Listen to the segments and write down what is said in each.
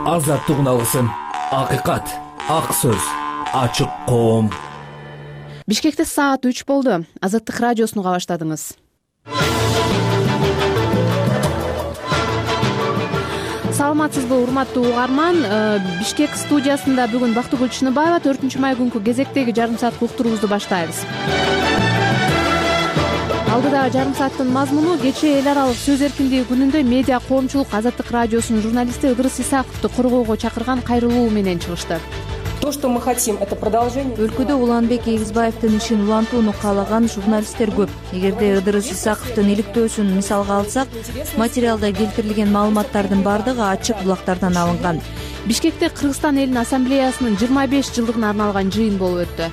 азаттык алгысым, акыйкат, ак сөз, ачык коом. Бишкекте саат 3 болду. Азаттык радиосуну уга баштадыңыз. Саламатсызбы, урматтуу угарман. Бишкек студиясында бүгүн Бактыгүл Чыныбаева 4 май күнкү кезектеги жарым саат уктуруубузду баштайбыз. Алдыдагы жарым сааттын мазмуну кечээ эл аралык сөз эркиндиги күнүндө медиа коомчулук Азаттык радиосунун журналисти Ыдырыс Исаковду коргоого чакырган кайрылуу менен чыгышты. То, что мы хотим, это продолжение. Өлкөдө Уланбек Эгизбаевдин ишин улантууну каалаган журналисттер көп. Эгерде Ыдырыс Исаковдун иликтөөсүн мисалга алсак, материалда келтирилген маалыматтардын бардыгы ачык булактардан алынган. Бишкекте Кыргызстан элинин ассамблеясынын 25 жылдыгына арналган жыйын болуп өттү.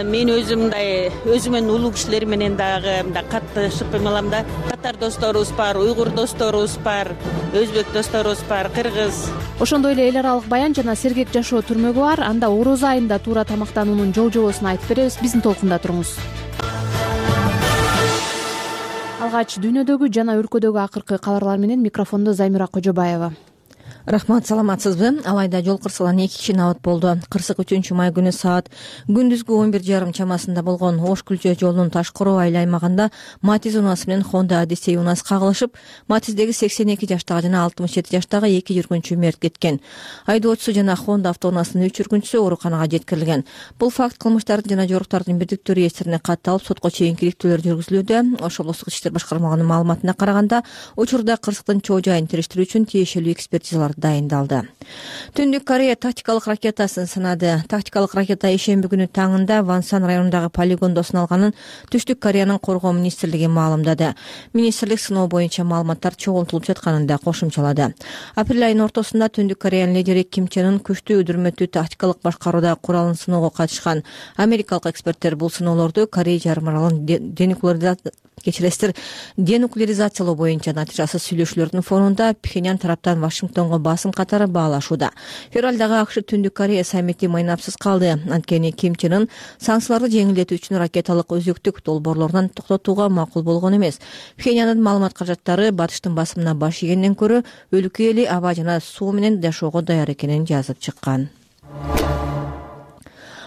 Мен өзүмөн улуу кишилер менен дагы катташып эмелам да. Татар досторубуз бар, уйгур досторубуз бар, өзбек досторубуз бар, кыргыз. Ошондой эле эл аралык баян жана сергек жашоо түрмөгү бар. Анда орозо айында туура тамактануунун жол-жобосун айтып беребиз. Биздин толкунда туруңуз. Алгач дүйнөдөгү жана өлкөдөгү акыркы кабарлар менен микрофондо Займира Кожобаева. Рахмат, саламатсызбы? Алайда жол кырсыгынан 2 киши абат болду. Кырсык 3 май күнү саат күндүзгү 11:30 чамасында болгон Ош Күлчө жолунун Ташкороо айыл аймагында Матиз унасы менен Honda Odyssey унасы кагылышып, Матиздеги 82 жаштагы жана 67 жаштагы 2 жүргүнчү мерт кеткен. Айдоочусу жана Honda автоунаасынын 3 жүргүнчүсү ооруканага жеткирилген. Бул факт кылмыштардын жана жоруктардын бирдиктүү реестрине катталып, сотко чейинки иликтөөлөр жүргүзүлүүдө. Ош облустук ички иштер башкармалыгынын маалыматына караганда, учурда кырсыктын чоо жайын териштирүү үчүн тиешелүү экспертизалар дайындалды. Түндүк Корея тактикалык ракетасын сынады. Тактикалык ракета ишемби күнү таңында Вансан районундагы полигондо сыналганын Түштүк Кореянын коргоо министрлиги маалымдады. Министрлик сыноо боюнча маалыматтар чогултулуп жатканын да кошумчалады. Апрель айынын ортосунда Түндүк Кореянын лидери Ким Чен Ын күчтүү үдүрмөтүү тактикалык башкарууда куралын сыноого катышкан. Америкалык эксперттер бул сыноолорду Корея жарым аралын денуклеаризациялоо боюнча натыйжасыз сүйлөшүүлөрдүн фонунда Пхеньян тараптан Вашингтонго басым катары баалашууда. Февралдагы АКШ Түндүк Корея саммити майнапсыз калды. Анткени Ким Чен Ын санкцияларды жеңилдетүү үчүн ракеталык өзөктүк долбоорлорунан токтотууга макул болгон эмес. Пхеньяндын маалымат каражаттары батыштын басымына баш ийгенден көрө өлкө эли аба жана суу менен жашоого даяр экенин жазып чыккан.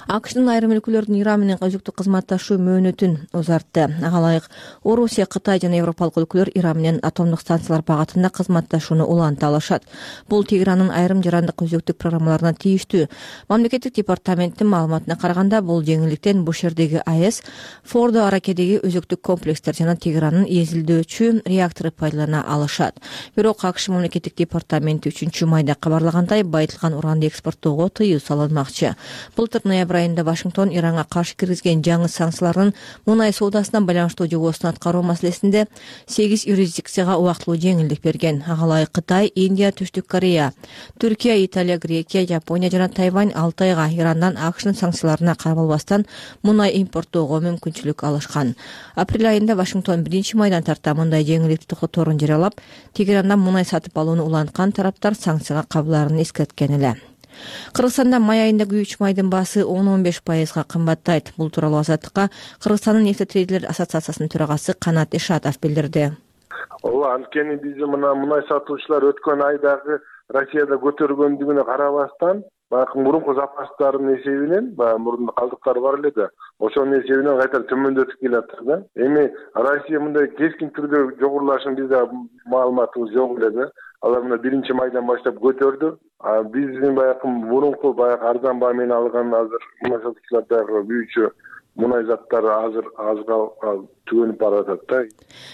АКШнын айрым өлкөлөрдүн Иран менен өзүктүк кызматташуу мөөнөтүн узартты. Ага ылайык Орусия, Кытай жана Европалык өлкөлөр Иран менен атомдук станциялар багытында кызматташууну уланта алышат. Бул Тегеранын айрым жарандык өзүктүк программаларына тийиштүү. Мамлекеттик департаменттин маалыматына караганда, бул жеңилдиктен Бушердеги АЭС, Фордо Аракедеги өзүктүк комплекстер жана Тегеранын эзилдөөчү реактору пайдалана алышат. Бирок АКШ мамлекеттик департаменти 3 майда кабарлагандай, байытылган уранды экспорттоого тыюу салынмакчы. Былтыр ноябрь айында Вашингтон Иранга каршы киргизген жаңы санкциялардын мунай соодасына байланыштуу жобосун аткаруу маселесинде 8 юрисдикцияга убактылуу жеңилдик берген. Ага ылайык Кытай, Индия, Түштүк Корея, Түркия, Италия, Грекия, Жапония жана Тайвань 6 айга Ирандан АКШнын санкцияларына карабалбастан мунай импорттоого мүмкүнчүлүк алышкан. Апрель айында Вашингтон 1 майдан тарта мындай жеңилдикти токтоторун жарыялап, Тегерандан мунай сатып алууну уланткан тараптар санкцияга кабылаарын эскерткен эле. Кыргызстанда май айында күйүүчү майдын баасы 10-15% кымбаттайт. Бул тууралуу Азаттыкка Кыргызстандын нефтетрейдерлер ассоциациясынын төрагасы Канат Ишатов билдирди. Ооба, анткени биз мунай сатуучулар өткөн айдагы Россияда көтөргөндүгүнө карабастан, мурунку запастардын эсебинен, мурунда калдыктар бар эле да, ошонун эсебинен кайта төмөндөтүп келатыр да. Эми Россия мындай кескин түрдө жогорулашын бизде маалыматыбыз жок эле да. Алар мына 1 майдан баштап көтөрдү. Биздин мурунку арзан баа менен алган азыр мунай сатуучулардагы күйүүчү мунай заттары азыр түгөнүп баратат да.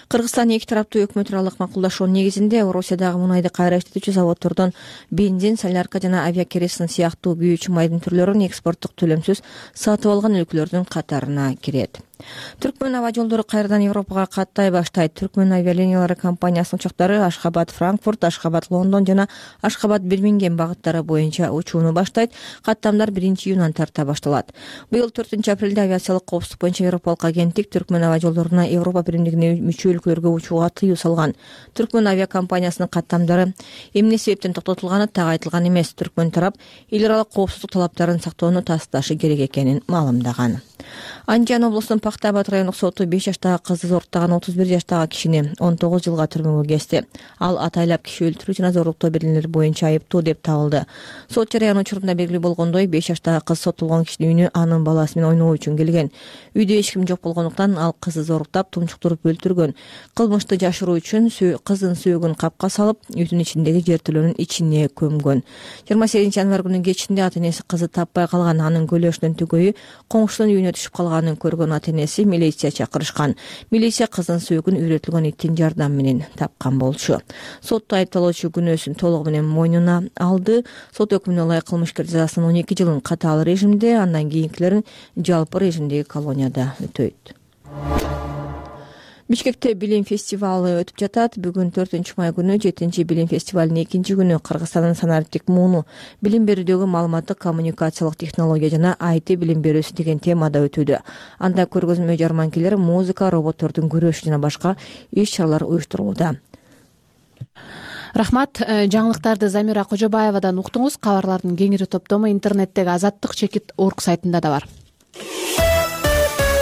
Кыргызстан эки тараптуу өкмөт аралык макулдашуунун негизинде Орусиядагы мунайды кайра иштетүүчү заводдордон бензин, солярка жана авиакеросин сыяктуу күйүүчү майдын түрлөрүн экспорттук төлөмсүз сатып алган өлкөлөрдүн катарына кирет. Түркмөн аба жолдору кайрадан Европага каттай баштайт. Түркмөн авиалиниялары компаниясынын учактары Ашхабад Франкфурт, Ашхабад Лондон жана Ашхабад Бирмингем багыттары боюнча учууну баштайт. Каттамдар 1-июндан тарта башталат. Быйыл 4-апрелде авиациялык коопсуздук боюнча Европалык агенттик Түркмөн аба жолдоруна Европа биримдигине мүчө өлкөлөргө учууга тыюу салган. Түркмөн авиакомпаниясынын каттамдары эмне себептен токтотулганы так айтылган эмес. Түркмөн тарап эл аралык коопсуздук талаптарын сактоону тасташы керек экенин маалымдаган. Андижан облусунун Пакта Абад райондук соту 5 жаштагы кызды зоруктаган 31 жаштагы кишини 19 жылга түрмөгө кести. Ал атайлап киши өлтүрүү жана зорлуктоо берилелери боюнча айыптуу деп табылды. Сот жарыяны учурунда белгилүү болгондой, 5 жаштагы кыз соттолгон кишинин үйүнө анын баласы менен ойноо үчүн келген. Үйдө эч ким жок болгондуктан ал кызды зоруктап, тумчуктуруп өлтүргөн. Кылмышты жашыруу үчүн кыздын сөөгүн капка салып, үйдүн ичиндеги жертөлөнүн ичине көмгөн. 28 январь күнү кечинде ата энеси кызды таппай калган. Анын көлөшүнүн түгөйү коңшунун үйүнө түшүп калганын көргөн ата энеси милиция чакырышкан. Милиция кыздын сөөгүн үйрөтүлгөн иттин жардамы менен тапкан болчу. Сотто айыпталуучу күнөөсүн толугу менен мойнуна алды. Сот өкүмүнө ылайык кылмышкер жазасын 12 жылын катаал режимде, андан кийинкилерин жалпы режимдеги колонияда өтөйт. Бишкекте билим фестивалы өтүп жатат. Бүгүн 4-май күнү 7-чи билим фестивалынын 2-чи күнү Кыргызстандын санариптик мууну билим берүүдөгү маалыматтык коммуникациялык технология жана IT билим берүүсү деген темада өтүүдө. Анда көргөзмө жарманкелер, музыка, роботтордун күрөшү жана башка иш-чаралар уюштурулууда. Рахмат. Жаңылыктарды Замира Кожобаевадан уктуңуз. Кабарлардын кеңири топтому интернеттеги azattik.org сайтында да бар.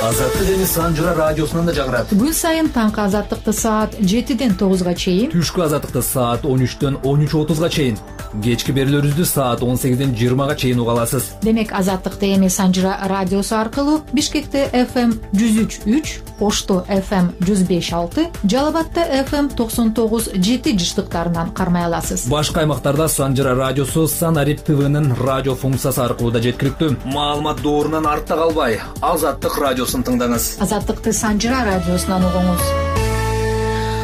Азаттык эми Санжыра радиосунан да жагырат. Күн сайын таңкы азаттыкты саат 7-ден 9-га чейин, Түшкү азаттыкты саат 13-төн 13:30-га чейин, кечки берүүлөрүбүздү саат 18-ден 20-га чейин уга аласыз. Демек азаттыкты эми Санжыра радиосу аркылуу Бишкекте FM 103.3, Ошто FM 105.6, Жалал Абадта FM 99.7 жыштыктарынан кармай аласыз. Башка аймактарда Санжыра радиосу Санарип ТВнын радио функциясы аркылуу да жеткиликтүү. Маалымат доорунан артта калбай, Азаттык радиосун тыңдаңыз. Азаттыкты Санжыра радиосунан угуңуз.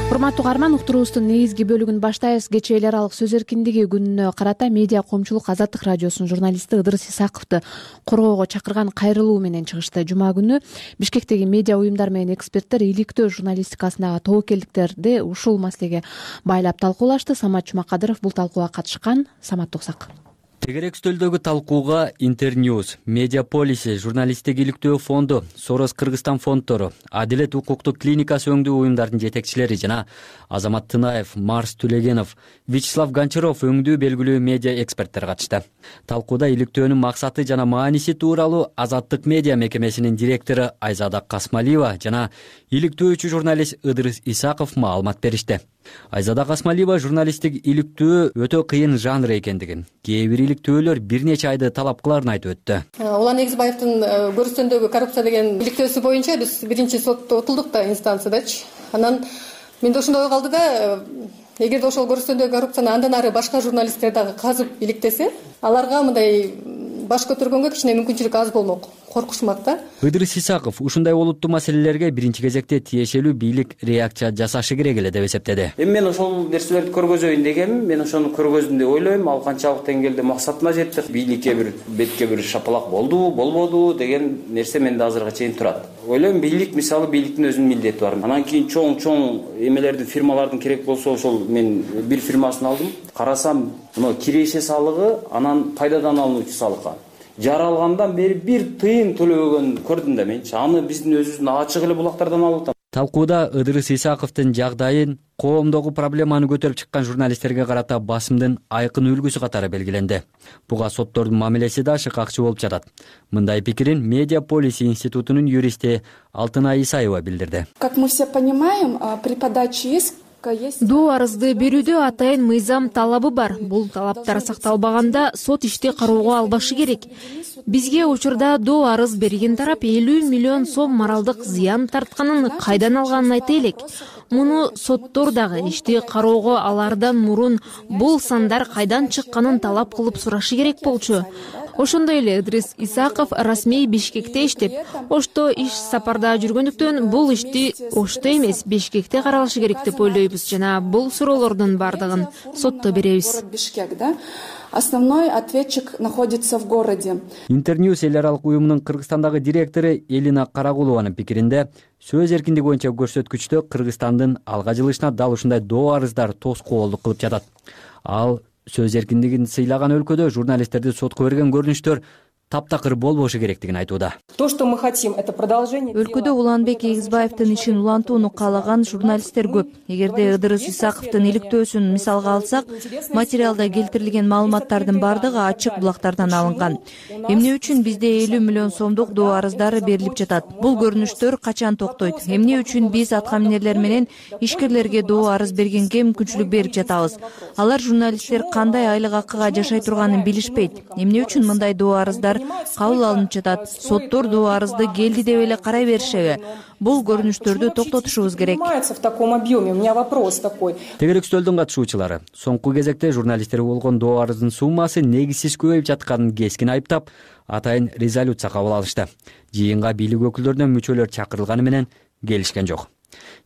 Урматтуу угарман, уктуруубуздун негизги бөлүгүн баштайбыз. Кечээ эл аралык сөз эркиндиги күнүнө карата медиа коомчулук Азаттык радиосунун журналисти Ыдырыс Исаковду коргоого чакырган кайрылуу менен чыгышты. Жума күнү Бишкектеги медиа уюмдар менен эксперттер иликтөө журналистикасындагы тобокелдиктерди ушул маселеге байлап талкуулашты. Самат Жумакадыров бул талкууга катышкан. Самат Токсак. Тегерек стөлдөгү талкууга Интерньюз, Медиаполиси, журналисттик иликтөө фонду, Сорос Кыргызстан фонддору, Адилет укуктук клиникасы өңдүү уюмдардын жетекчилери жана Азамат Тынаев, Марс Түлегенов, Вячеслав Гончаров өңдүү белгилүү медиа эксперттер катышты. Талкууда иликтөөнүн максаты жана мааниси тууралуу Азаттык медиа мекемесинин директору Айзада Касмалиева жана иликтөөчү журналист Ыдырыс Исаков маалымат беришти. Айзада Касмалиева журналисттик иликтөө өтө кыйын жанр экендигин, кээ бир иликтөөлөр бир нече айды талап кыларын айтып өттү. Улан Эгизбаевдин көрүстөндөгү коррупция деген иликтөөсү боюнча биз биринчи сотто утулдук да инстанциядачы. Анан менде ошондой ой калды да, эгерде ошол көрүстөндөгү коррупцияны андан ары башка журналисттер дагы казып иликтесе, аларга мындай баш көтөргөнгө кичине мүмкүнчүлүк аз болмок, коркушмак да. Ыдырыс Исаков ушундай олуттуу маселелерге биринчи кезекте тиешелүү бийлик реакция жасашы керек эле деп эсептеди. Эми мен ошол нерселерди көргөзөйүн дегенмин, мен ошону көргөздүм деп ойлойм. Ал канчалык деңгээлде максатына жетти, бийликке бир бетке бир шапалак болдубу, болбодубу деген нерсе менде азыркыга чейин турат. Ойлойм, бийлик мисалы бийликтин өзүнүн милдети бар. Анан кийин чоң эмелердин, фирмалардын керек болсо ошол мен бир фирмасын алдым. Карасам, мына киреше салыгы, анан пайдадан алынуучу салыкка жаралгандан бери бир тыйын төлөбөгөн көрдүм да менчи. Аны биздин өзүбүздүн ачык эле булактардан алып атам. Талкууда Ыдырыс Исаковдун жагдайын, коомдогу проблеманы көтөрүп чыккан журналисттерге карата басымдын айкын үлгүсү катары белгиленди. Буга соттордун мамилеси да шыкакчы болуп жатат. Мындай пикирин Медиаполиси институтунун юристи Алтынай Исаева билдирди. Как мы все понимаем, при подаче иска Доо арызды берүүдө атайын мыйзам талабы бар. Бул талаптар сакталбаганда сот ишти кароого албашы керек. Бизге учурда доо арыз берген тарап 50 миллион сом моралдык зыян тартканын кайдан алганын айта элек. Муну соттор дагы ишти кароого алардан мурун бул сандар кайдан чыкканын талап кылып сурашы керек болчу. Ошондой эле Ыдырыс Исаков расмий Бишкекте иштеп, Ошто иш сапарда жүргөндүктөн бул ишти Ошто эмес Бишкекте каралышы керек деп ойлойбуз жана бул суроолордун бардыгын сотто беребиз. Основной ответчик находится в городе. Интерньюз эл аралык уюмунун Кыргызстандагы директору Элина Карагулованын пикиринде, сөз эркиндиги боюнча көрсөткүчтө Кыргызстандын алга жылышына дал ушундай доо арыздар тоскоолдук кылып жатат. Ал сөз эркиндигин сыйлаган өлкөдө журналисттерди сотко берген көрүнүштөр таптакыр болбошу керектигин айтууда. То, что мы хотим, это продолжение. Өлкөдө Уланбек Эгизбаевдин ишин улантууну каалаган журналисттер көп. Эгерде Ыдырыс Исаковдун иликтөөсүн мисалга алсак, материалда келтирилген маалыматтардын бардыгы ачык булактардан алынган. Эмне үчүн бизде 50 миллион сомдук доо арыздары берилип жатат? Бул көрүнүштөр качан токтойт? Эмне үчүн биз аткаминерлер менен ишкерлерге доо арыз бергенге мүмкүнчүлүк берип жатабыз? Алар журналисттер кандай айлык акыга жашай турганын билишпейт. Эмне үчүн мындай доо арыздар кабыл алынып жатат? Соттор доо арызды келди деп эле карай беришеби? Бул көрүнүштөрдү токтотушубуз керек. В таком объеме. У меня вопрос такой. Тегерек үстөлдүн катышуучулары соңку кезекте журналисттерге болгон доо арыздын суммасы негизсиз көбөйүп жатканын кескин айыптап, атайын резолюция кабыл алышты. Жыйынга бийлик өкүлдөрүнөн мүчөлөр чакырылганы менен келишкен жок.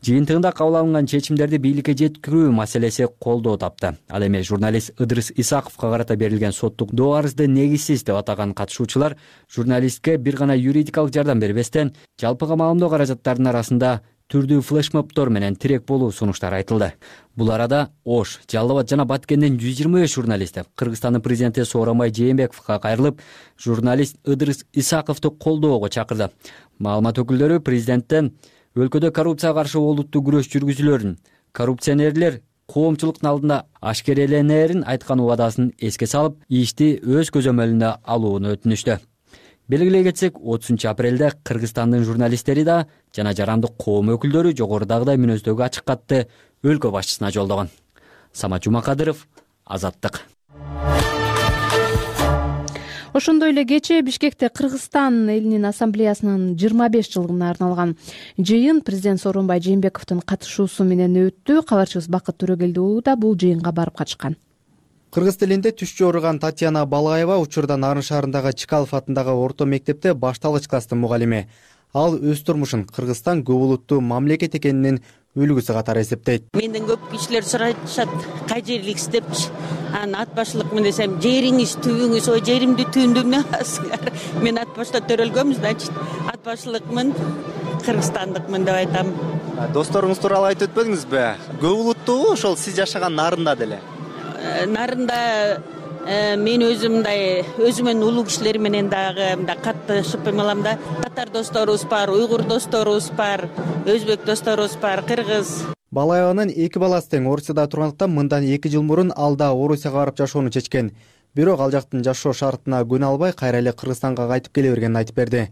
Жыйынтыгында кабыл алынган чечимдерди бийликке жеткирүү маселеси колдоо тапты. Ал эми журналист Ыдырыс Исаковго карата берилген соттук доо арызды негизсиз деп атаган катышуучулар журналистке бир гана юридикалык жардам бербестен, жалпыга маалымдоо каражаттарынын арасында түрдүү флешмобдор менен тирек болуу сунуштары айтылды. Бул арада Ош, Жалал Абад жана Баткенден 125 журналисти Кыргызстандын президенти Сооронбай Жээнбековго кайрылып, журналист Ыдырыс Исаковду колдоого чакырды. Маалымат өкүлдөрү президенттен өлкөдө коррупцияга каршы олуттуу күрөш жүргүзүүлөрүн, коррупционерлер коомчулуктун алдында ашкереленерин айткан убадасын эске салып, ишти өз көзөмөлүнө алууну өтүнүштү. Белгилей кетсек, 30 апрелде Кыргызстандын журналисттери да жана жарандык коом өкүлдөрү жогорудагыдай мүнөздөгү ачык катты өлкө башчысына жолдогон. Самат Жумакадыров, Азаттык. Ошондой эле кечээ Бишкекте Кыргызстан элинин ассамблеясынын 25 жылдыгына арналган жыйын президент Сооронбай Жээнбековдун катышуусу менен өттү. Кабарчыбыз Бакыт Төрөгелди уулу да бул жыйынга барып катышкан. Кыргыз тилинде түшчү ооруган Татьяна Балаева учурда Нарын шаарындагы Чкалов атындагы орто мектепте башталгыч класстын мугалими. Ал өз турмушун Кыргызстан көп улуттуу мамлекет экенинин үлгүсү катары эсептейт. Менден көп кишилер сурашат, кай жерlik иштепчи? Анан ат башлыкмын десем, жериңиз, түбүңүз, ой жеримди түбүндө эмне кыласыңар? Мен ат башта төрөлгөм, значит, ат башлыкмын, кыргызстандыкмын деп айтам. Досторуңуз тууралуу айтып өтпөдүңүзбү? Көп улуттуубу ошол сиз жашаган Нарында деле? Нарында мен өзүмөн улуу кишилер менен дагы катташып эмелам да. Татар досторубуз бар, уйгур досторубуз бар, өзбек досторубуз бар, кыргыз. Балаеванын 2 баласы тең Орусияда тургандыктан мындан 2 жыл мурун ал да Орусияга барып жашоону чечкен. Бирок ал жактын жашоо шартына көнө албай кайра эле Кыргызстанга кайтып келе бергенин айтып берди.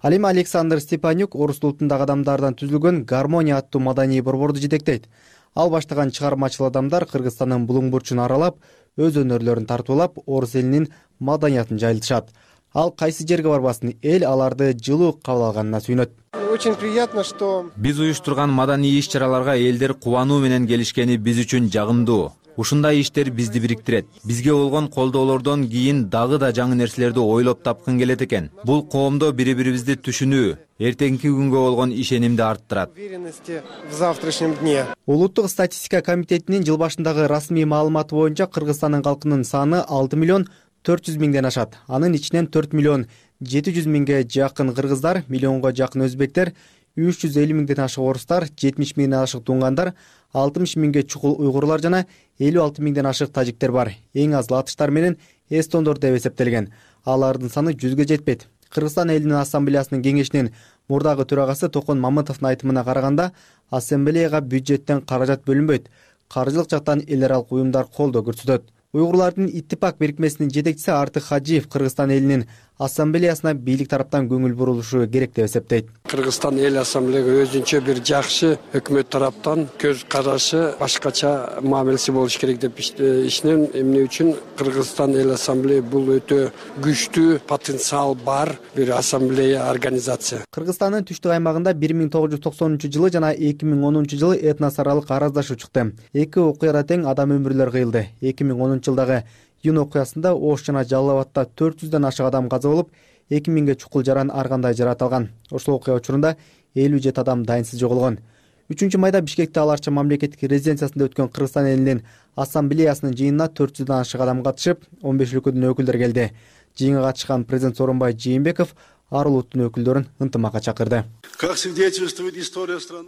Ал эми Александр Степанюк орус улутундагы адамдардан түзүлгөн Гармония аттуу маданий борборду жетектейт. Ал баштаган чыгармачыл адамдар Кыргызстандын булуң бурчун аралап, өз өнөрлөрүн тартуулап, орус элинин маданиятын жайылтышат. Ал кайсы жерге барбасын, эл аларды жылуу кабыл алганына сүйүнөт. Очень приятно, что биз уюштурган маданий иш-чараларга элдер кубануу менен келишкени биз үчүн жагымдуу. Ушундай иштер бизди бириктирет. Бизге болгон колдоолордон кийин дагы да жаңы нерселерди ойлоп тапкын келет экен. Бул коомдо бири-бирибизди түшүнүү, эртеңки күнгө болгон ишенимди арттырат. В завтрашнем дне. Улуттук статистика комитетинин жыл башындагы расмий маалыматы боюнча Кыргызстандын калкынын саны 6 миллион 400 миңден ашат. Анын ичинен 4 миллион 700 миңге жакын кыргыздар, миллионго жакын өзбектер, 350 миңден ашык орустар, 70 миңден ашык тунгандар, 60 миңге чукул уйгурлар жана 56 миңден ашык тажиктер бар. Эң аз латыштар менен эстондор деп эсептелген. Алардын саны 100гө жетпейт. Кыргызстан элинин ассамблеясынын кеңешинин мурдагы төрагасы Токон Мамытовдун айтымына караганда, ассамблеяга бюджеттен каражат бөлүнбөйт. Каржылык жактан эл аралык уюмдар колдоо көрсөтөт. Уйгурлардын иттифак бирикмесинин жетекчиси Артык Хажиев Кыргызстан элинин ассамблеясына бийлик тараптан көңүл бурулушу керек деп эсептейт. Кыргызстан эл ассамблеяга өзүнчө бир жакшы өкмөт тараптан көз карашы, башкача мамилеси болуш керек деп ишенем. Эмне үчүн Кыргызстан эл ассамблея бул өтө күчтүү потенциал бар бир ассамблея организация. Кыргызстандын түштүк аймагында 1990 жана 2010 жылы этнос аралык араздашуу чыкты. Эки окуяда тең адам өмүрлөр кыйылды. 2010 жылдагы июнь окуясында Ош жана Жалал Абадта 400дөн ашык адам каза болуп, 2000ге чукул жаран ар кандай жаратылган. Ошол окуя учурунда 57 адам дайынсыз жоголгон. 3-майда Бишкекте аларча мамлекеттик резиденциясында өткөн Кыргызстан элинин ассамблеясынын жыйынына 400дөн ашык адам катышып, 15 өлкөдөн өкүлдөр келди. Жыйынга катышкан президент Сооронбай Жээнбеков ар улуттун өкүлдөрүн ынтымакка чакырды.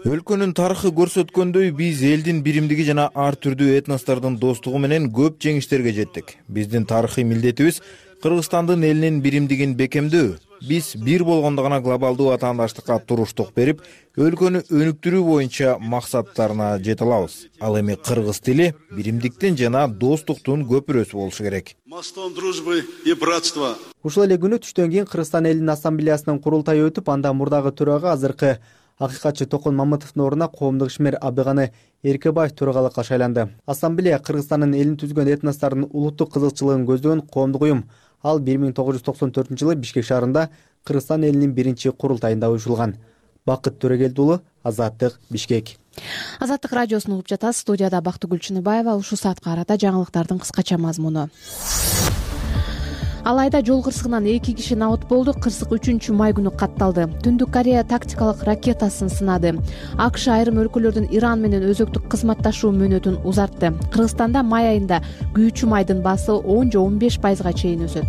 Өлкөнүн тарыхы көрсөткөндөй, биз элдин биримдиги жана ар түрдүү этностордун достугу менен көп жеңиштерге жеттик. Биздин тарыхый милдетибиз Кыргызстандын элинин биримдигин бекемдөө. Биз бир болгондо гана глобалдуу атаандаштыкка туруштук берип, өлкөнү өнүктүрүү боюнча максаттарына жете алабыз. Ал эми кыргыз тили биримдиктин жана достуктун көпүрөсү болушу керек. Мостом дружбы и братства. Ушул эле күнү түштөн кийин Кыргызстан элинин ассамблеясынын курултайы өтүп, анда мурдагы төрага азыркы акыйкатчы Токон Мамытовдун ордуна коомдук ишмер Абдыганы Эркебаев төрагалыкка шайланды. Ассамблея Кыргызстандын элин түзгөн этностордун улуттук кызыкчылыгын көздөгөн коомдук уюм. Ал 1994-жылы Бишкек шаарында Кыргызстан элинин биринчи курултайында уюшулган. Бакыт Төрөгелди уулу, Азаттык, Бишкек. Азаттык радиосун угуп жатасыз. Студияда Бактыгүл Чыныбаева. Ушул саатка карата жаңылыктардын кыскача мазмуну. Алайда жол кырсыгынан 2 киши набыт болду. Кырсык 3-май күнү катталды. Түндүк Корея тактикалык ракетасын сынады. АКШ айрым өлкөлөрдүн Иран менен өзөктүк кызматташуу мөөнөтүн узартты. Кыргызстанда май айында күйүүчү майдын баасы 10–15%га чейин өсөт.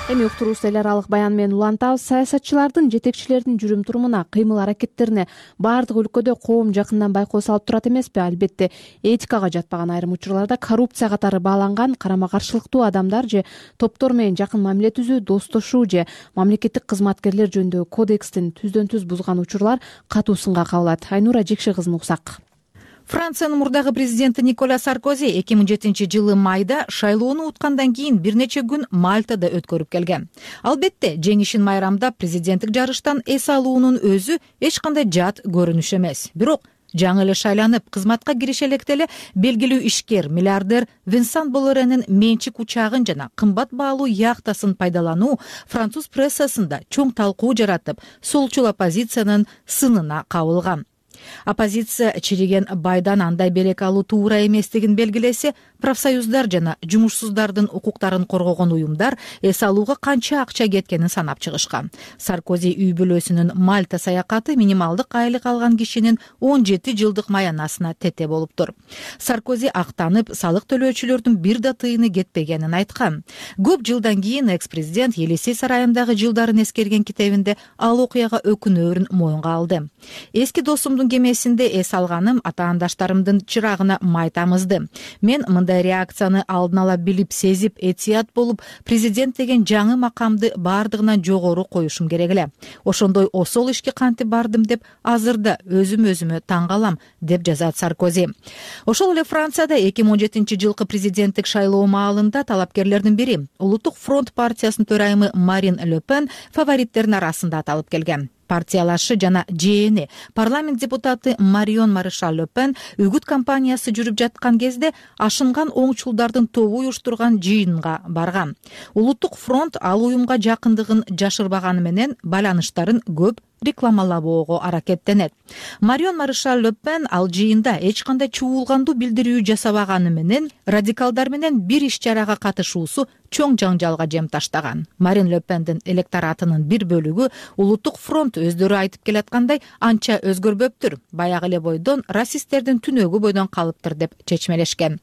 Эми уктуруубузду эл аралык баян менен улантабыз. Саясатчылардын, жетекчилердин жүрүм-турумуна, кыймыл-аракеттерине баардык өлкөдө коом жакындан байкоо салып турат эмеспи? Албетте, этикага жатпаган айрым учурларда коррупция катары бааланган карама-каршылыктуу адамдар же топтор менен жакын мамиле түзүү, достошуу же мамлекеттик кызматкерлер жөнүндөгү кодекстин түздөн-түз бузган учурлар катуу сынга кабылат. Айнура Жекше кызын уксак. Франциянын мурдагы президенти Николя Саркози 2007-жылы майда шайлоону уткандан кийин бир нече күн Мальтада өткөрүп келген. Албетте, жеңишин майрамдап президенттик жарыштан эс алуунун өзү эч кандай жат көрүнүш эмес. Бирок жаңы эле шайланып, кызматка кирише электе эле белгилүү ишкер, миллиардер Винсан Болоренин менчик учагын жана кымбат баалуу яхтасын пайдалануу француз прессасында чоң талкуу жаратып, солчул оппозициянын сынына кабылган. Оппозиция чириген байдан андай белек алуу туура эместигин белгилесе, профсоюздар жана жумушсуздардын укуктарын коргогон уюмдар эс алууга канча акча кеткенин санап чыгышкан. Саркози үй бүлөсүнүн Мальта саякаты минималдык айлык алган кишинин 17 жылдык маянасына тете болуптур. Саркози актанып, салык төлөөчүлөрдүн бир да тыйыны кетпегенин айткан. Көп жылдан кийин экс-президент Елисей сарайындагы жылдарын эскерген китебинде ал окуяга өкүнөөрүн моюнга алды. Эски досумдун кемесинде эс алганым атаандаштарымдын чырагына май тамызды. Мен мындай реакцияны алдын ала билип, сезип, этият болуп, президент деген жаңы макамды бардыгынан жогору коюшум керек эле. Ошондой осол ишке кантип бардым деп азырда өзүмө таң калам, деп жазат Саркози. Ошол эле Францияда 2017-жылкы президенттик шайлоо маалында талапкерлердин бири, Улуттук фронт партиясынын төрайымы Марин Ле Пен фавориттердин арасында аталып келген. Партиялашы жана жээни парламент депутаты Марион Маришаль Ле Пен үгүт кампаниясы жүрүп жаткан кезде ашынган оңчулдардын тобу уюштурган жыйынга барган. Улуттук фронт ал уюмга жакындыгын жашырбаганы менен байланыштарын көп рекламалабоого аракеттенет. Марион Маришаль Ле Пен ал жыйында эч кандай чуулгандуу билдирүү жасабаганы менен радикалдар менен бир иш-чарага катышуусу чоң жаңжалга жем таштаган. Марин Ле Пендин электоратынын бир бөлүгү Улуттук фронт өздөрү айтып келаткандай анча өзгөрбөптүр, баягы эле бойдон расисттердин түнөгү бойдон калыптыр деп чечмелешкен.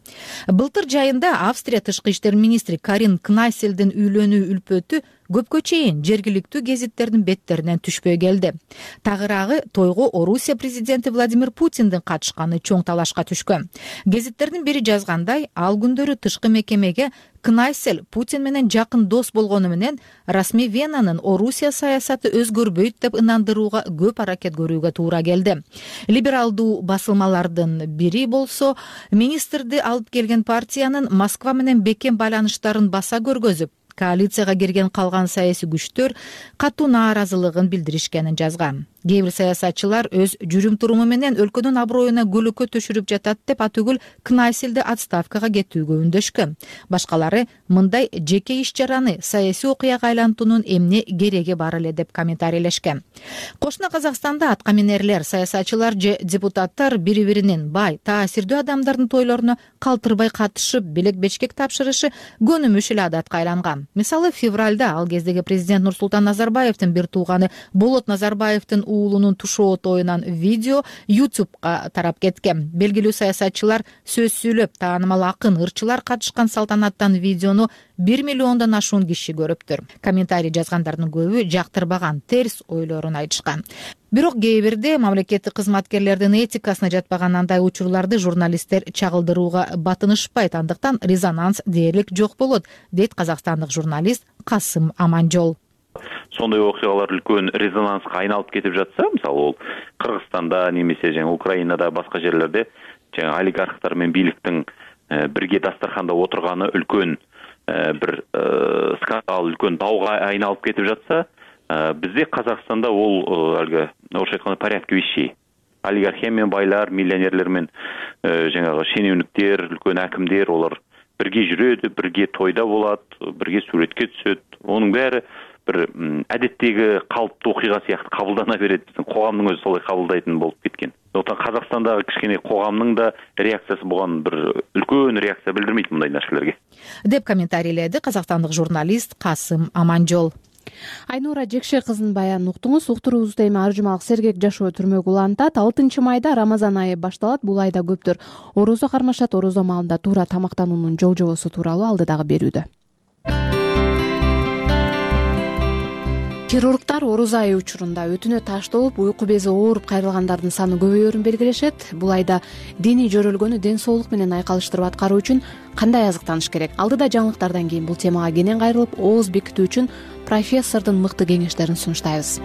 Былтыр жайында Австрия тышкы иштер министри Карин Кнайселдин үйлөнүү үлпөтү көпкө чейин жергиликтүү гезиттердин беттеринен түшпөй келди. Тагыраагы тойго Орусия президенти Владимир Путиндин катышканы чоң талашка түшкөн. Гезиттердин бири жазгандай, ал күндөрү тышкы мекемеге Кнайсел Путин менен жакын дос болгону менен расмий Венанын Орусия саясаты өзгөрбөйт деп ынандырууга көп аракет көрүүгө туура келди. Либералдуу басылмалардын бири болсо, министрди алып келген партиянын Москва менен бекем байланыштарын баса көргөзүп, коалицияга кирген калган саясий күчтөр катуу нааразылыгын билдиришкенин жазган. Кээ бир саясатчылар өз жүрүм-туруму менен өлкөнүн аброюна көлөкө төшүрүп жатат деп атүгүл Кнайселди отставкага кетүүгө үндөшкөн. Башкалары мындай жеке иш-чараны саясий окуяга айлантуунун эмне кереги бар эле деп комментарийлешкен. Кошуна Казакстанда аткаминерлер, саясатчылар же депутаттар бири-биринин бай, таасирдүү адамдардын тойлоруна калтырбай катышып, белек-бечкек тапшырышы көнүмүш эле адатка айланган. Мисалы, февралда ал кездеги президент Нурсултан Назарбаевдин бир тууганы Болот Назарбаевдин уулунун тушоо тоюнан видео YouTube'га тарап кеткен. Белгилүү саясатчылар сөз сүйлөп, таанымал акын, ырчылар катышкан салтанаттан видеону 1 миллиондон ашуун киши көрүптүр. Комментарий жазгандардын көбү жактырбаган, терс ойлорун айтышкан. Бирок кээ бирде мамлекеттик кызматкерлердин этикасына жатпаган андай учурларды журналисттер чагылдырууга батынышпайт, андыктан резонанс дээрлик жок болот, дейт казакстандык журналист Касым Аманжол. Сондай окуялар үлкөн резонанска айналып кетип жатса, мисалы ол Кыргызстанда немесе Украинада, башка жерлерде олигархтар менен бийликтин бирге дастарханда отурганы үлкөн бир скандал, үлкөн дауга айналып кетип жатса, бизде Казакстанда ол алга орусча айтканда порядке вещей. Олигархия менен байлар, миллионерлер менен жаңагы шенеунүктөр, үлкөн акимдер, олар бирге жүрөт, бирге тойда болот, бирге сүрөткө түшөт. Онун баары бир адеттеги калыптуу окуйга сыяктуу кабылдана берет. Биздин коомдун өзү солай кабылдайтын болуп кеткен. Ошондуктан Казакстандагы кичкене коомдун да реакциясы буган бир үлкөн реакция билдирмейт мындай нерселерге, деп комментарийледи казакстандык журналист Касым Аманжол. Айнура Жекше кызынын баянын уктуңуз. Уктуруубузда эми ар жумалык сергек жашоо түрмөгү улантат. 6 майда Рамазан айы башталат. Бул айда көптөр орозо кармашат. Орозо маалында туура тамактануунун жол-жобосу тууралуу алдыдагы берүүдө. Хирургдар орозо айы учурунда өтүнө таштолуп, уйку бези ооруп кайрылгандардын саны көбөйөөрүн белгилешет. Бул айда диний жөрөлгөнү ден соолук менен айкалыштырып аткаруу үчүн кандай азыктаныш керек? Алдыда жаңылыктардан кийин бул темага кенен кайрылып, ооз бекитүү үчүн профессордун мыкты кеңештерин сунуштайбыз.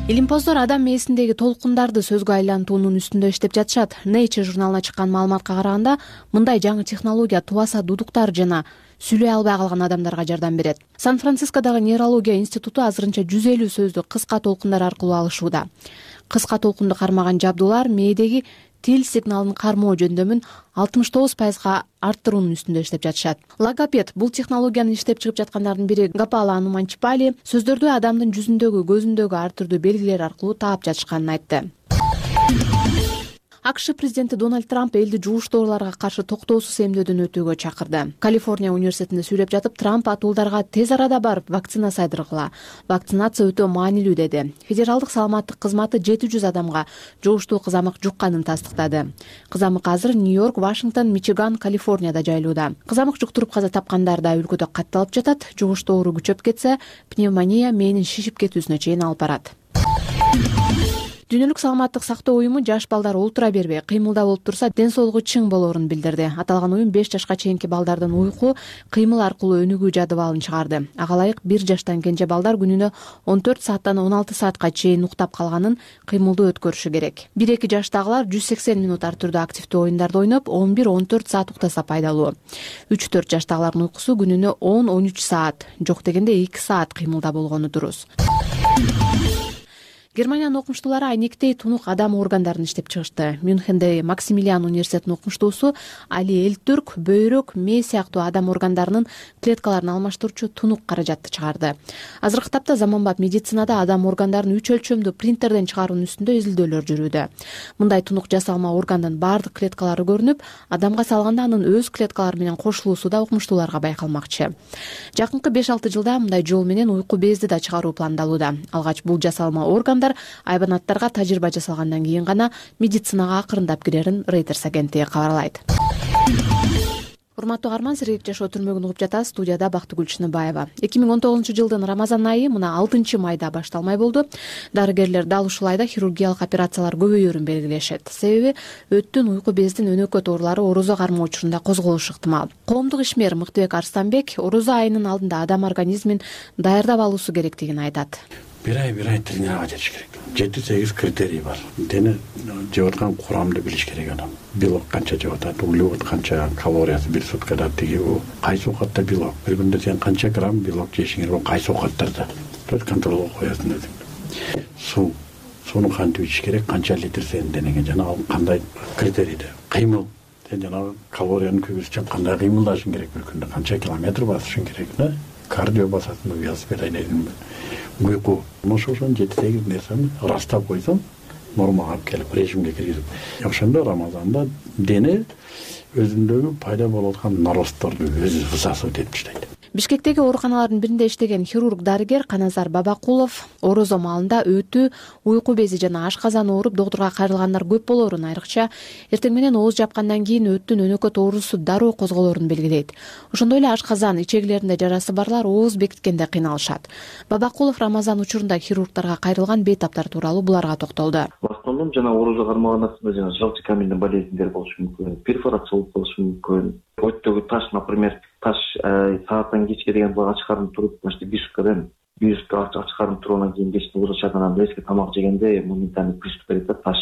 Илимпоздор адам мээсиндеги толкундарды сөзгө айлантуунун үстүндө иштеп жатышат. Nature журналына чыккан маалыматка караганда, мындай жаңы технология тубаса дудуктар жана сүйлөй албай калган адамдарга жардам берет. Сан-Францискодогу нейрология институту азырынча 150 сөздү кыска толкундар аркылуу алышууда. Кыска толкунду кармаган жабдуулар мээдеги тил сигналын кармоо жөндөмүн 69% арттыруунун үстүндө иштеп жатышат. Логопед бул технологияны иштеп чыгып жаткандардын бири Гапала Ануманчипали сөздөрдү адамдын жүзүндөгү, көзүндөгү ар түрдүү белгилер аркылуу таап жатышканын айтты. АКШ президенти Дональд Трамп элди жууш дооруларга каршы токтоосуз эмдөөдөн өтүүгө чакырды. Калифорния университетинде сүйлөп жатып, Трамп атуулдарга тез арада барып вакцина сайдыргыла. Вакцинация өтө маанилүү деди. Федералдык саламаттык кызматы 700 адамга жугуштуу кызамык жукканын тастыктады. Кызамык азыр Нью-Йорк, Вашингтон, Мичиган, Калифорнияда жайылууда. Кызамык жуктуруп каза тапкандар да өлкөдө катталып жатат. Жугуштуу оору күчөп кетсе, пневмония мээнин шишип кетүүсүнө чейин алып барат. Дүйнөлүк саламаттык сактоо уюму жаш балдар олтура бербей, кыймылда болуп турса, ден соолугу чың болоорун билдирди. Аталган уюм 5 жашка чейинки балдардын уйку, кыймыл аркылуу өнүгүү жадыбалын чыгарды. Ага ылайык 1 жаштан кенже балдар күнүнө 14 сааттан 16 саатка чейин уктап калганын, кыймылды өткөрүшү керек. 1-2 жаштагылар 180 минут ар түрдүү активдүү оюндарды ойноп, 11-14 саат уктаса пайдалуу. 3-4 жаштагылардын уйкусу күнүнө 10-13 саат, жок дегенде 2 саат кыймылда болгону дурус. Германиянын окумуштуулары айнектей тунук адам органдарын иштеп чыгышты. Мюнхенде Максимилиан университетинин окумуштуусу Али Элтүрк бөйрөк, мээ сыяктуу адам органдарынын клеткаларын алмаштыруучу тунук каражатты чыгарды. Азыркы тапта заманбап медицинада адам органдарын 3 өлчөмдүү принтерден чыгаруунун үстүндө изилдөөлөр жүрүүдө. Мындай тунук жасалма органдын бардык клеткалары көрүнүп, адамга салганда анын өз клеткалары менен кошулуусу да окумуштууларга байкалмакчы. Жакынкы 5-6 жылда мындай жол менен уйку безди да чыгаруу пландалууда. Алгач бул жасалма органдар айбанаттарга тажрыйба жасалгандан кийин гана медицинага акырындап кирерин Reuters агенттиги кабарлайт. Урматтуу каарман, сергек жашоо түрмөгүн угуп жатасыз. Студияда Бактыгүл Чыныбаева. 2019 жылдын Рамазан айы мына 6 майда башталмай болду. Дарыгерлер дал ушул айда хирургиялык операциялар көбөйөөрүн белгилешет. Себеби өттүн, уйку бездин өнөкөт оорулары орозо кармоо учурунда козголушу ыктымал. Коомдук ишмер Мыктыбек Арстанбек орозо айынын алдында адам организмин даярдап алуусу керектигин айтат. Bir ay тренировать etиш керек. 7-8 критерий бар. Дене жеп аткан курамды билиш керек адам. Белок канча жеп атат, углевод канча, калориясы бир суткада тиги, кайсы оокатта белок. Bir күндө сен канча грамм белок жешиңер, ол кайсы оокаттарда. То контролго коесуң өзүң. Сууну кантип ичиш керек, канча литр сенин денеңе жана ал кандай критерийде. Кыймыл. Сен жана калорияны көбөйтүш үчүн кандай кыймылдашың керек, bir күндө канча километр басышың керек, да? Кардио басасың, велосипед айдайсың. Уйку. Ошондон 7-8 нерсени ырастап койсоң, нормага алып келип режимге киргизип. Ошондо Рамазанда дене өзүндөгү пайда болуп аткан наростторду өзү высасывать этип таштайт. Бишкектеги ооруканалардын биринде иштеген хирург дарыгер Каназар Бабакулов орозо маалында өтүү, уйку бези жана ашказан ооруп доктурга кайрылгандар көп болоорун, айрыкча эртең менен ооз жапкандан кийин өттүн өнөкөт оорусу дароо козголоорун белгилейт. Ошондой эле ашказан, ичегилеринде жарасы барлар ооз бекиткенде кыйналышат. Бабакулов Рамазан учурунда хирургдарга кайрылган бейтаптар тууралуу буларга токтолду. В основном жана оорузга кармаган нерселер жана желчный каменный болезньдер болушу мүмкүн, перфорация болушу мүмкүн. Өттөгү таш, например, таш сааттан кечке деген буга ач карын туруп, бишкадан ач карын тургандан кийин кечки ооз ачат, анан резко тамак жегенде моментально приступ берет да, таш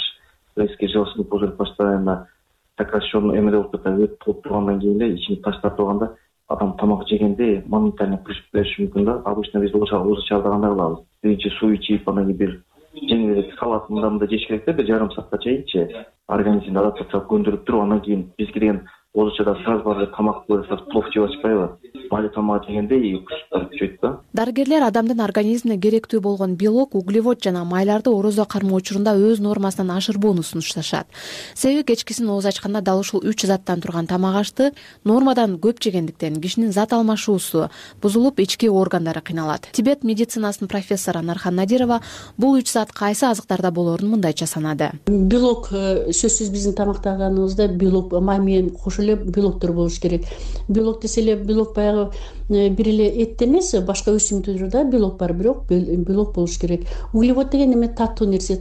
резко желчный пузырь постоянно сокращенный эмеде болуп кетет, өт болуп тургандан кийин эле ичине таш тартып алганда адам тамак жегенде моментально приступ бериши мүмкүн да. Обычно биз ооз ачарды кандай кылабыз? Биринчи суу ичип, анан кийин бир жеңилирээк салат мындамында жеш керек да, бир жарым саатка чейинчи организмди адаптацияга көндүрүп туруп, анан кийин бизге деген ооз ачада сразу барып тамак плов жеп атпайбы? Бали тамак жегенде күчөйт да. Дарыгерлер адамдын организмине керектүү болгон белок, углевод жана майларды орозо кармоо учурунда өз нормасынан ашырбоону сунушташат. Себеби кечкисин ооз ачканда дал ушул 3 заттан турган тамак ашты нормадан көп жегендиктен кишинин зат алмашуусу бузулуп, ички органдары кыйналат. Тибет медицинасынын профессору Нархан Надирова бул 3 зат кайсы азыктарда болоорун мындайча санады. Белок сөзсүз биздин тамактаганыбызда белок май менен кошо эле белоктор болуш керек. Белок десе эле белок баягы бир эле этте эмес, башка өсүмдүктөрдө белок бар, бирок белок болуш керек. Углевод деген эме таттуу нерсе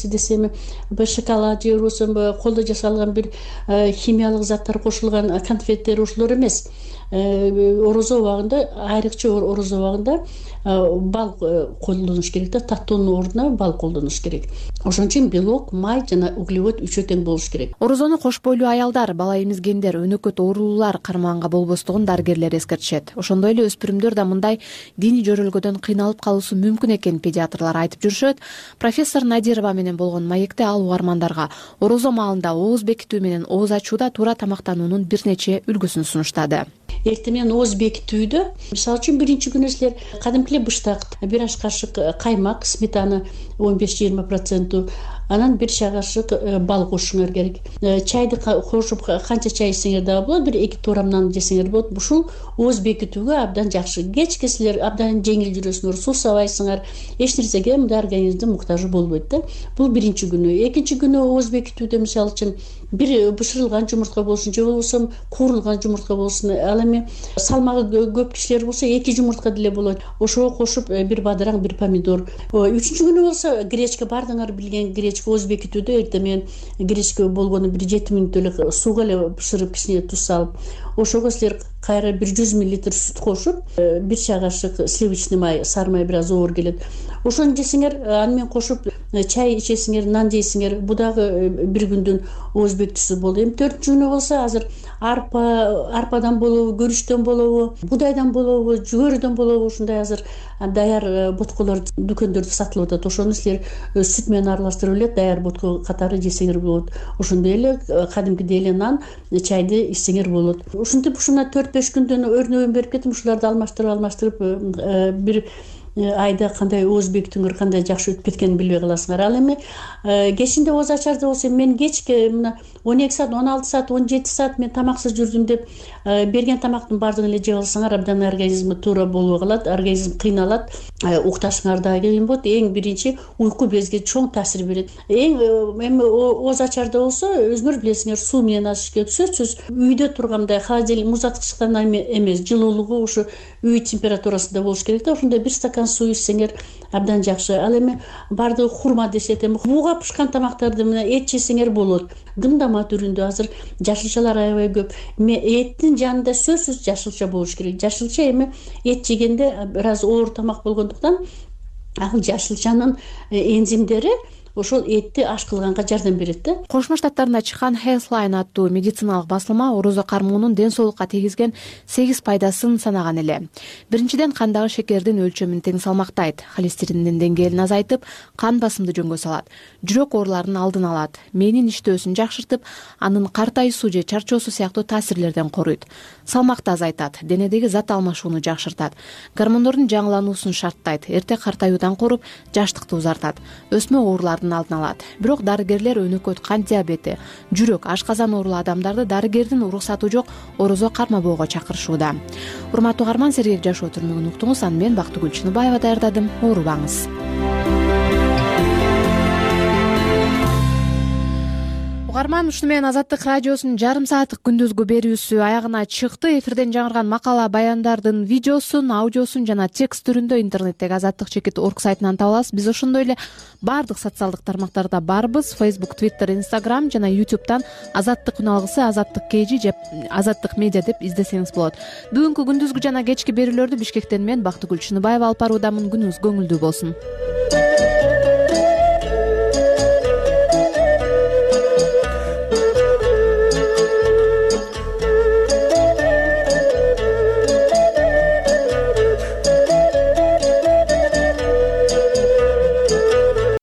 десе эми шоколад же болбосо колдо жасалган бир химиялык заттар кошулган конфеттер, ошолор эмес. Орозо убагында, айрыкча орозо убагында бал колдонуш керек да, таттуунун ордуна бал колдонуш керек. Ошон үчүн белок, май жана углевод үчөө тең болуш керек. Орозону кош бойлуу аялдар, бала эмизгендер, өнөкөт оорулуулар кармаганга болбостугун дарыгерлер эскертишет. Ошондой эле өспүрүмдөр да мындай диний жөрөлгөдөн кыйналып калуусу мүмкүн экенин педиатрлар айтып жүрүшөт. Профессор Надирова менен болгон маекте ал угармандарга орозо маалында ооз бекитүү менен ооз ачууда туура тамактануунун бир нече үлгүсүн сунуштады. Эртең менен ооз бекитүүдө, мисалы үчүн биринчи күнү силер кадимки быштак, бир аш кашык каймак, сметана 15-20%, анан бир чай кашык бал кошуңар керек. Чайды кошуп канча чай ичсеңер дагы болот, бир 2 туурамдан жесеңер болот. Ушул ооз бекитүүгө абдан жакшы. Кечке силер абдан жеңил жүрөсүңөр, сусабайсыңар, эч нерсеге мындай организмдин муктажы болбойт да. Бул биринчи күнү. Экинчи күнү ооз бекитүүдө мисалы үчүн бир бышырылган жумуртка болсун, же болбосо куурулган жумуртка болсун. Ал эми салмагы көп кишилер болсо 2 жумуртка деле болот. Ошого кошуп бир бадыраң, бир помидор. Үчүнчү күнү болсо гречка, бардыңар билген гречка ооз бекитүүдө эртең менен гречка болгону бир 7 мүнөт эле сууга эле бышырып, кичине туз салып, ошого силер кайра бир 100 мл сүт кошуп, бир чай кашык сливочный май, сары май бир аз оор келет. Ошону жесеңер, аны менен кошуп чай ичесиңер, нан жейсиңер, бу дагы бир күндүн ооз бекитүүсү болду. Эми 4-чү күнү болсо азыр арпадан болобу, көрүчтөн болобу, будайдан болобу, жүгөрүдөн болобу, ушундай азыр даяр ботколор дүкөндөрдө сатылып атат. Ошону силер сүт менен аралаштырып эле даяр ботко катары жесеңер болот. Ошондой эле кадимкидей эле нан, чайды ичсеңер болот. Ушинтип ушуна 4-5 күндөн өрнөгүн берип кетип, ушуларды алмаштырып бир айда кандай ооз бекитүүңөр кандай жакшы өтүп кеткенин билбей каласыңар. Ал эми кечинде ооз ачарды болсо мен кечке мына 12 саат, 16 саат, 17 саат мен тамаксыз жүрдүм деп берген тамактын баардыгын эле жеп алсаңар абдан организм туура болбой калат, организм кыйналат, укташыңар да кыйын болот. Эң биринчи уйку безге чоң таасир берет. Эми ооз ачарда болсо өзүңөр билесиңер, суу менен ачыш керек. Сөзсүз үйдө тургандай холодильник, муздатгычтан эмес, жылуулугу ушу үй температурасында болуш керек да. Ошондой бир стакан суу ичсеңер абдан жакшы. Ал эми бардыгы хурма десет, эми бууга пышкан тамактарды менен эт жесеңер болот. Гындама түрүндө азыр жашылчалар аябай көп. Эттин жанында сөзсүз жашылча болуш керек. Жашылча эми эт жегенде бир аз оор тамак болгондуктан ал жашылчанын энзимдери ошол этти аш кылганга жардам берет да. Кошмо Штаттарында чыккан Healthline аттуу медициналык басылма орозо кармоонун ден соолукка тийгизген 8 пайдасын санаган эле. Биринчиден, кандагы шекердин өлчөмүн тең салмактайт, холестериндин деңгээлин азайтып, кан басымды жөнгө салат, жүрөк ооруларынын алдын алат, мээнин иштөөсүн жакшыртып, анын картайуусу же чарчоосу сыяктуу таасирлерден коруйт, салмакты азайтат, денедеги зат алмашууну жакшыртат, гормондордун жаңылануусун шарттайт, эрте картаюудан коруп, жаштыкты узартат, өсмө ооруларын оорулардын алдын алат. Бирок дарыгерлер өнөкөт кант диабети, жүрөк, ашказан оорулуу адамдарды дарыгердин уруксаты жок орозо кармабоого чакырышууда. Урматтуу угарман, сергек жашоо түрмөгүн уктуңуз. Аны мен Бактыгүл Чыныбаева даярдадым. Оорубаңыз. Угарман, ушуну менен Азаттык радиосунун жарым сааттык күндүзгү берүүсү аягына чыкты. Эфирден жаңырган макала баяндардын видеосун, аудиосун жана текст түрүндө интернеттеги azattik.org сайтынан таба аласыз. Биз ошондой эле баардык социалдык тармактарда барбыз. Facebook, Twitter, Instagram жана YouTube'дан Азаттык үн алгысы, Азаттык KG же Азаттык медиа деп издесеңиз болот. Бүгүнкү күндүзгү жана кечки берүүлөрдү Бишкектен мен Бактыгүл Чыныбаева алып баруудамын. Күнүңүз көңүлдүү болсун.